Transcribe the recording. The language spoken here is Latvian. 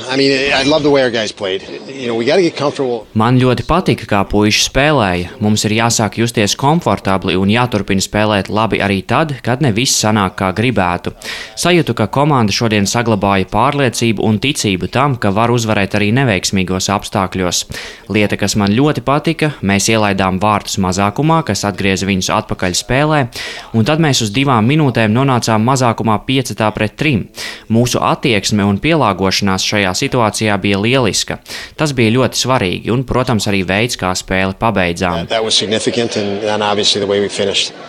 I love the way our guys played. We got to get comfortable. Man ļoti patika, kā puiši spēlēja. Mums ir jāsāk justies komfortabli un jāturpina spēlēt labi arī tad, kad ne viss sanāk kā gribētu. Sajūtu, ka komanda šodien saglabāja pārliecību un ticību tam, ka var uzvarēt arī neveiksmīgos apstākļos. Lieta, kas man ļoti patika, mēs ielaidām vārtus mazākumā, kas atgrieza viņus atpakaļ spēlē, un tad mēs uz 2 minūtēm nonācām mazākumā 5-3. Mūsu attieksme un pielāgošanās šajā situācijā bija lieliska. Tas bija ļoti svarīgi un, protams, arī veids, kā spēli pabeidzām.